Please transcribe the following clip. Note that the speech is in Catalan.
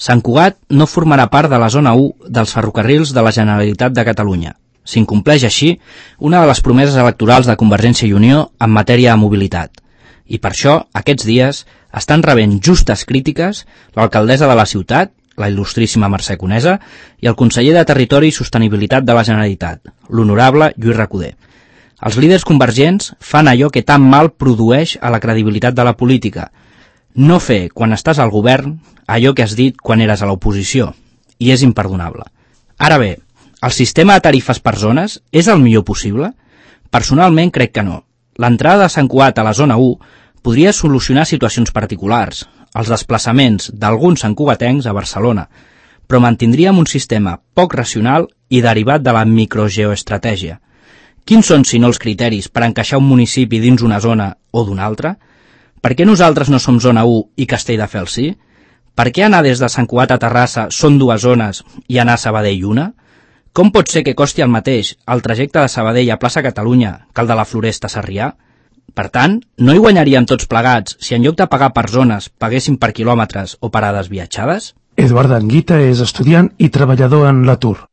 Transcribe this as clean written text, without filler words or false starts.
Sant Cugat no formarà part de la zona 1 dels ferrocarrils de la Generalitat de Catalunya. S'incompleix així una de les promeses electorals de Convergència i Unió en matèria de mobilitat. I per això, aquests dies, estan rebent justes crítiques l'alcaldessa de la ciutat, la il·lustríssima Mercè Conesa, i el conseller de Territori i Sostenibilitat de la Generalitat, l'honorable Lluís Recoder. Els líders convergents fan allò que tan mal produeix a la credibilitat de la política. No fer, quan estàs al govern, allò que has dit quan eres a l'oposició, i és imperdonable. Ara bé, el sistema de tarifes per zones és el millor possible? Personalment crec que no. L'entrada de Sant Cugat a la zona 1 podria solucionar situacions particulars, els desplaçaments d'alguns santcugatencs a Barcelona, però mantindríem un sistema poc racional i derivat de la microgeoestratègia. Quins són, si no, els criteris per encaixar un municipi dins una zona o d'una altra? Per què nosaltres no som zona 1 i Castelldefels sí? Per què anar des de Sant Cugat a Terrassa són dues zones i anar a Sabadell una? Com pot ser que costi el mateix el trajecte de Sabadell a Plaça Catalunya que el de la Floresta a Sarrià? Per tant, no hi guanyaríem tots plegats si en lloc de pagar per zones paguéssim per quilòmetres o parades viatjades? Eduard Anguita és estudiant i treballador en l'atur.